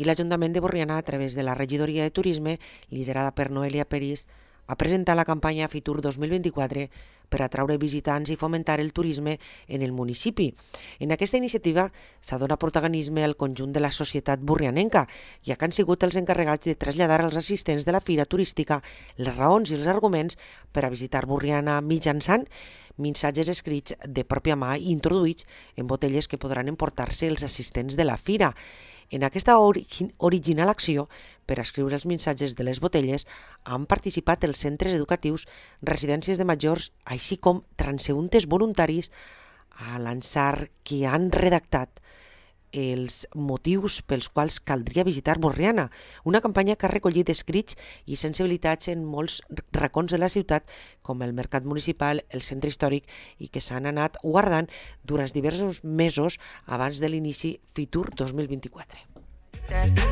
i l'Ajuntament de Borriana, a través de la regidoria de turisme, liderada per Noelia Peris, ha presentat la campanya Fitur 2024 per atraure visitants i fomentar el turisme en el municipi. En aquesta iniciativa s'ha donat protagonisme al conjunt de la societat borrianenca, ja que han sigut els encarregats de traslladar als assistents de la fira turística les raons i els arguments per a visitar Borriana mitjançant missatges escrits de pròpia mà i introduïts en botelles que podran emportar-se els assistents de la fira. En aquesta original acció per escriure els missatges de les botelles han participat els centres educatius, residències de majors, així com transeüntes voluntaris a l'ensar que han redactat els motius pels quals caldria visitar Borriana, una campanya que ha recollit escrits i sensibilitats en molts racons de la ciutat, com el mercat municipal, el centre històric, i que s'han anat guardant durant diversos mesos abans de l'inici Fitur 2024.